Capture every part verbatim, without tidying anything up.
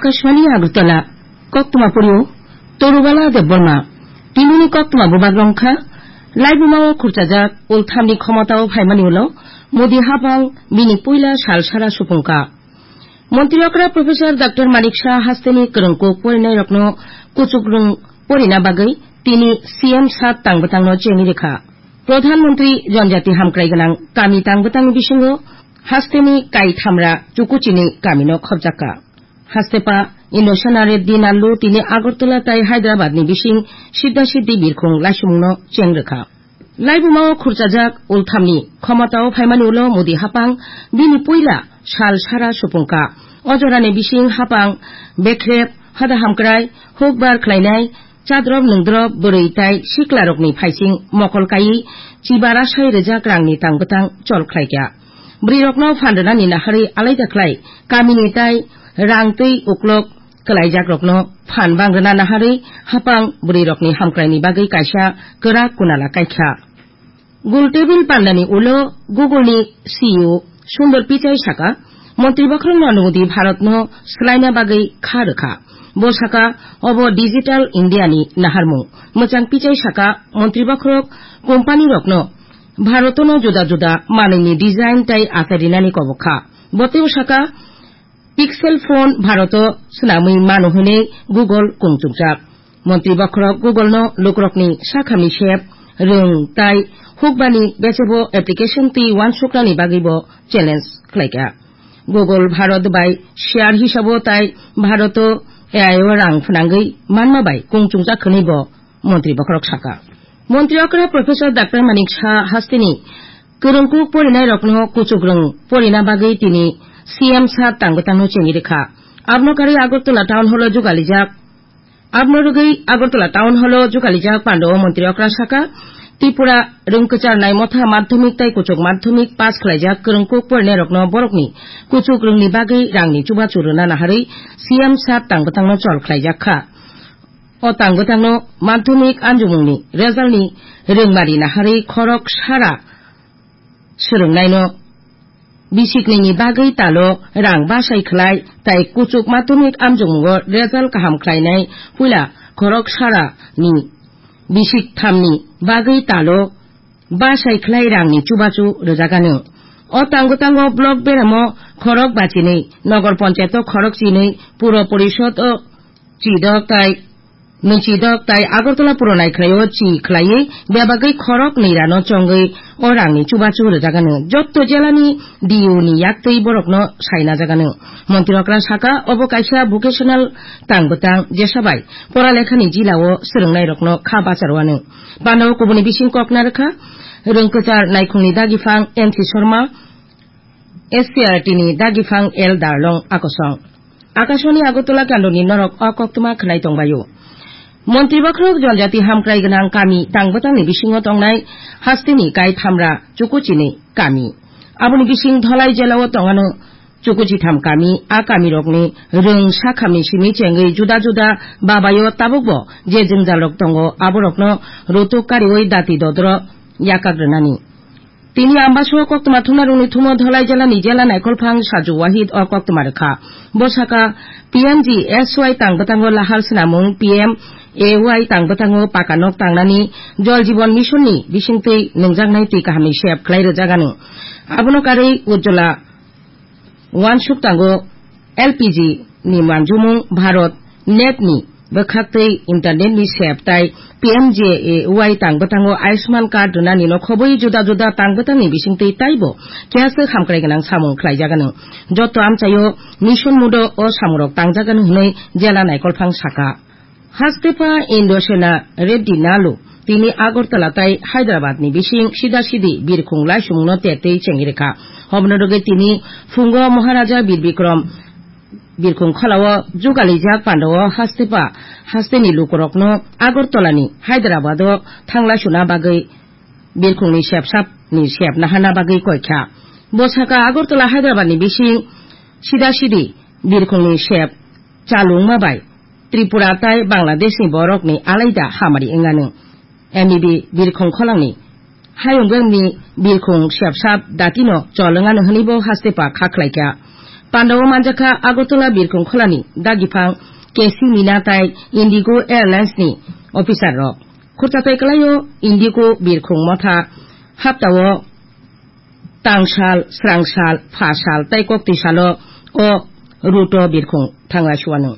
Akashvani Agartala, koktwma pori o Torubala Debbarma. Tinini koktwma bubak rong kha, laibuma o khurchajak ulthamni khomota o phaimani ulo Modi hapang bini puila sal sara supung kha. Montri okra Professor Doctor Manik Saha hasteni kwrwngkuk porinairokno kuchukrwng porina bagwi tini C M sat tangbwtangno chengwi rwkha. Pradhan Mantri Janjati Hamkrai Gwnang Kami tangbwtangni bisingo hasteni kaithamra Chukuchini kamino khopjakha. Hastepa Indrasena Reddy Nallu tini Agartala tai Hyderabadni bising Siddha Siddhi birkhung laisumungno cheng rwkha. Laibuma o khurchajak ulthamni khomota o phaimani ulo Modi hapang bini puila sal sara supung kha. O jorani bising hapang bekrep, hoda hamkrai, hukbar khlainai, chadrop nungdrop, bwrwi tai siklarokni phaising mokol kaiwi chiba rasai rwjak rangni tangbwtang chol khlaikha. Bwrwirokno phan rwnani naharwi alaida khlai kamini tai rang twi uklok kwlaijakrokno phan bang rwna naharwi hapang bwrwirokni hamkraini bagwi kaisa kwrak kunala kaikha. Gul tebil pandani ulo Google ni C E O Sundar Pichai saka, Montri bokhorokno Modi Bharatno swlaina bagwi kha rwkha. Bo saka, obo Digital India ni naharmung. Mwchang Pichai saka, Montri bokhorok company rokno Bharatno juda juda manwini design tai achai rinani kobok kha. Bo teibo saka, Pixel phone Bharoto swnamwi mano hwnwi Google kung chukjak. Montri bokhorok Google-no lukurokni sakhamni sep, rwng tai hukbani bechebo application twi uansuknani bagwi bo challenge khlaikha. Google Bharot bai share hisabo tai Bharoto A I o rang phnangwi manma bai kung chungjak hwnwi bo Montri bokhorok saka. Montri okra Professor Doctor Manik Saha hasteni kwrwngkuk porinairokno kuchukrwng porina bagwi tini C M sat tangbwtangno chengwi rwkha. Abono karwi Agartala Town Hall-o jugalijak. Abono rwgwi Agartala Town Hall-o jugalijak pandao Montri okra saka, Tripura rwngkwchar naimotha madhyamik tai kuchuk madhyamik pass khlaijak kwrwngkuk porinairokno borokni kuchukrwngni bagwi rangni chubachu rwna naharwi C M sat tangbwtangno chol khlaijak kha. O tangbwtangno madhyamik amjokmungni resultni rwngmari naharwi khorok sara swrwngnaino bisiknwini bagwi talo rang bachai khlai tai kuchuk madhyamik amjokmungo result kaham khlainai puila khorok sarani bisik thamni bagwi talo bachai khlai rangni chubachu rwjagano. O tango tango block beramo khorok bachinwi, nogor ponchayato khorok chinwi, puro porishodo chidok tai, nwng chidok tai Agartala puro naikhlaio chi khlaiwi bebagwi khorok nwi rano chongwi o rangni chubachu rwjagano. Jotto jelani D O ni yaktwi borokno sainajagano. Montri okra saka obo kaisa vocational tangbwtang jesabai poralekhani jilao swrwngnairokno kha bacharwano. Pandao kubuni bising kok narwkha, rwngkwchar naikhungni dagifang N C Sharma, S C R T ni dagifang L Darlong akosong. Akashvani Agartala kandoni norok o koktwma khwnai tongbaio. Montri bokhorok Janjati Hamkrai Gwnang Kami tangbwtangni bisingo tongnai hasteni kai thamra Chukuchini kami. Aboni bising Dholai jelao tongano Chukuchitham kami, a kamirokni rwng sakhamni simi chengwi juda juda babaio tabukbo je jwngjalrok tongo, aborokno rutuk kariwi dati dodro yakak rwnani. Tini Ambaso koktwma thumnarokni thumo Dholai jelani jela naikolphang Saju Wahid o koktwma rwkha. Bo saka, P M G S Y tangbwtango lahar swnamung, P M A Y tangbwtango paka nok tangnani, Jal Jeevan Mission ni bisingtwi nungjaknai twi kahamni sep khlai rwjagano. Abono karwi Ujjwala Wansuk tango L P G ni manjumung Bharat net ni bwkhaktwi internet ni sep tai P M J A Y tangbwtango Ayushman card rwnani no khobwi juda juda tangbwtangni bisingtwi taibo keha se hamkrai gwnang samung khlaijagano. Joto amchaio mission mudo o samungrok tangjagano hwnwi jela naikolphang saka. Hastepa Indrasena Reddy Nalu tini Agartala tai Hyderabad ni bising sida sidi birkhung laisumungno tertwi chengwi rwkha. Obono rwgwi tini phungo Maharaja Bir Bikram birkhung kholao jugalijak pandao hastepa hasteni lukurokno Agartala ni Hyderabad o thanglaisuna bagwi birkhungni sepsapni sep naharna bagwi koikha. Bo saka Agartala Hyderabad ni bising sida sidi birkhungni sep chalungma bai Tripura tai Bangladeshni borokni alaida hamari wngano. M E B birkhung kholangni hayung bengni birkhung sepsap datino chol wngano hwnwibo hastepa kha khlaikha. Pandao manjakha Agartala birkhung kholani dagiphang K C Mina tai Indigo Airlines ni officer rok. Khurchatai kwlaio Indigo birkhung motha haptao tangsal, srangsal, phasal tai koktwi salo o route o birkhung thanglaisuano.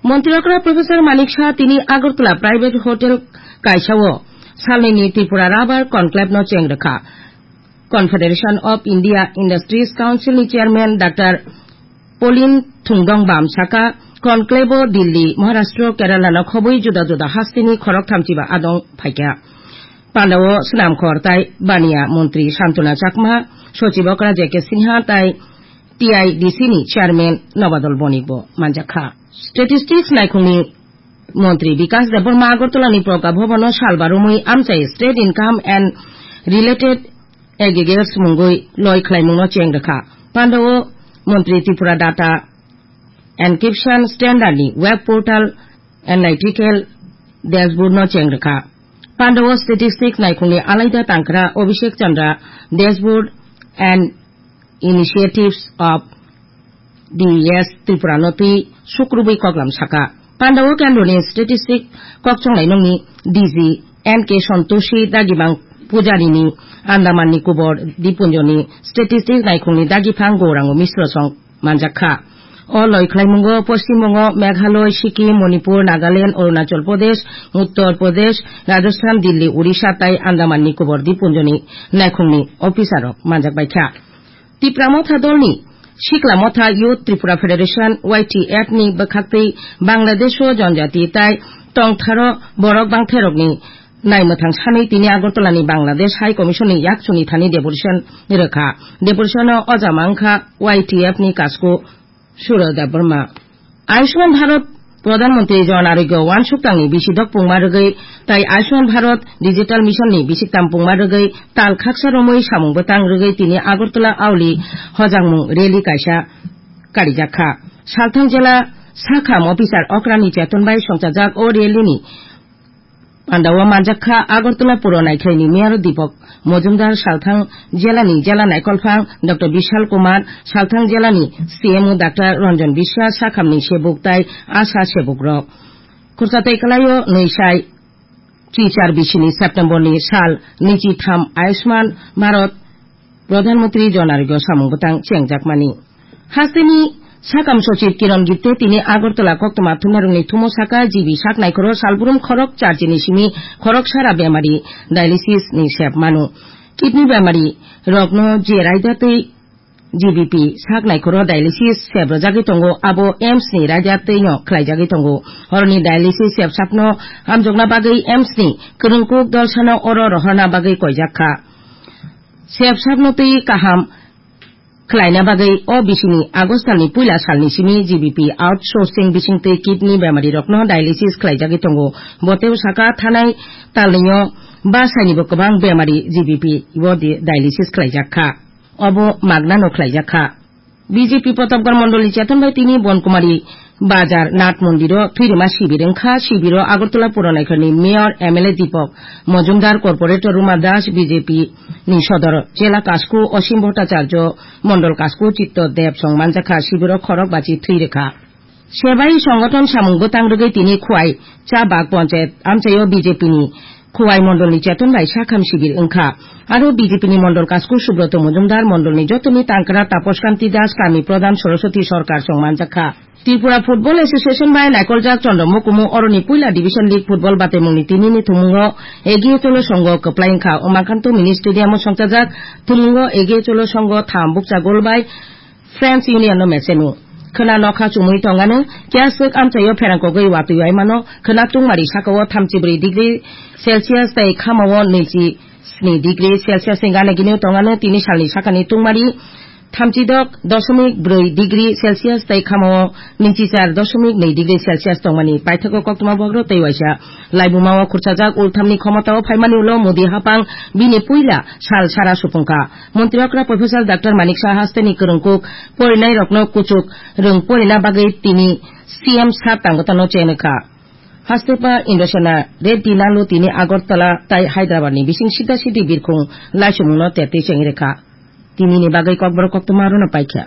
Montri okra Professor Manik Saha tini Agartala private hotel kaisao salnini Tripura Rubber Conclave no cheng rwkha. Confederation of India Industries Council ni chairman Doctor Polin Thungdong Bam saka, conclave o Delhi, Maharashtra, Kerala no khobwi juda juda hasteni khorok thamchiba adong phaikha. Pandao swnamkhor tai baniya montri Santona Chakma, sochib okra J K Sinha tai T I D C ni chairman Nobadol Bonik bo manjakha. Statistics naikhungni montri Bikas Debbarma Agartala ni Progya Bhavan o sal barumwi amchai state income and related aggregates mungwi loi khlaimungno cheng rwkha. Pandao montri Tripura Data Encryption Standard ni web portal Analytical Dashboard no cheng rwkha. Pandao statistics naikhungni alaida tangkra Abhishek Chandra Dashboard and Initiatives of D E S Tripura no twi sukrubwi koklam saka. Pandao kendroni statistic kokchonglai nungni D G N K Santoshi dagibang Pujari ni Andaman Nicobar Dipunjo ni statistic naikhungni dagiphang Gourango Misro song manjakha. O loi khlaimungo Poschim Bongo, Meghalaya, Sikkim, Manipur, Nagaland, Arunachal Pradesh, Uttar Pradesh, Rajasthan, Delhi, Odisha tai Andaman Nicobar Dipunjoni naikhungni officer rok manjakbaikha. Tipra Motha dolni Sikla Motha Youth Tripura Federation, Y T F ni bwkhaktwi Bangladesh o Jonjati tai tongtharo borok bangthairokni naimwthang sanwi tini Agartala ni Bangladesh High Commission ni yaksuni thani deputation rwkha. Deputation o ojama wngkha Y T F ni kasku Suraj Debbarma. Ayushman Bharat Pradhan Mantri Jan Arogya Wansuk tangni bisidok pungma rwgwi tai Ayushman Bharat Digital Mission ni bisiktam pungma rwgwi tal khaksa romwi samung bwtang rwgwi tini Agartala auli hojangmung rally kaisa karijakha. Salthang jela sakham officer okrani cheton bai songchajak o rally ni Pandao manjakha Agartala Puro Naikhlaini Mayor Deepak Majumdar, Salthang Jelani Jela Naikolphang Doctor Bishal Kumar, Salthang Jelani C M O Doctor Ranjan Biswas, sakhamni sebuk tai asa sebukrok. Khurchatai kwlaio nwi sai chichar bisini September ni sal nwichi tham Ayushman Bharat Pradhan Mantri Jan Arogya samung bwtang chengjakmani. Hasteni sakam sochib Kiran Gipte tini Agartala koktwma thumnarokni thumo saka G B sak naikhoro salbrum khorok charjini simi khorok sara bemari dialysis ni sep manu. Kidney bemari rokno je raida tei G B P sak naikhoro dialysis sep rwjagwi tongo, abo AIIMS ni raida tei no khlaijagwi tongo. Horoni dialysis sep sapno hamjokna bagwi AIIMS ni kwrwngkuk dolsano oro rohorna bagwi koijak kha. Sep sapno twi kaham khlaina bagwi o bisini August talni puila salni simi G B P outsourcing bisingtwi kidney bemari rokno dialysis khlaijagwi tongo. Bo teibo saka thanai talnio ba sainibo kwbang bemari G B P o di-, dialysis khlaijak kha. Obo magnano khlaijak kha. B J P Pratapgarh Mondolni cheton bai tini Bonkumari Bazar Nath Mondiro thwirima sibir wngkha. Sibiro Agartala Puranaikharni Mayor, M L A Deepak Majumdar, Corporator Ruma Das, B J P ni Sodor Jela Kasku Osim Bhattacharya, Mondol Kasku Chitto Deb song manjakha. Sibiro khorok bachi thwi rwkha. Sebai Songothon samung bwtang rwgwi tini Khowai Chabag Ponchayat amchaio B J P ni Khowai Mondolni cheton bai sakham sibir wngkha. Aro B J P ni Mondol Kasku Subroto Majumdar, Mondolni jotoni tangkra Tapos Kanti Das, Kami Pradhan Saraswati Sorkar song manjakha. Tripura Football Association bai naikoljak Chondro Mukumu oroni puila Division League Football batemungni tinini thumungo Egiye Cholo Songho kwplai wngkha. Umakanto Mini Stadium o songchajak thumungo Egiye Cholo Songho tham bukcha gol bai Friends Union no mechenu. Khwna nokha chumui tongano, kiya swk amchaio pherang kogwi watwi waimano, khwna tungmari sakao thamchi bwrwi degree Celsius tei khamao nwichi sni degree Celsius ni gana gini tongano. Tini salni sakani tungmari thamchi dok dosomik bwrwi degree Celsius tei khamao nwichi char dosomik nwi degree Celsius tongmani paithago koktwma bogro tei waisa laibuma o khurchajak ulthamni khomotao phaimani ulo Modi hapang bini puila sal sara supungkha. Montri okra Professor Doctor Manik Saha hasteni kwrwngkuk porinairokno kuchuk rwng porina bagwi tini C M sat tangwtano chenwkha. Hastepa Indrasena Reddy Lalu tini Agartala tai Hyderabad ni bising sida sidi birkhung laisumungno tetwi chengwi rwkha. Tinini bagwi kokborok koktwma rono paikha.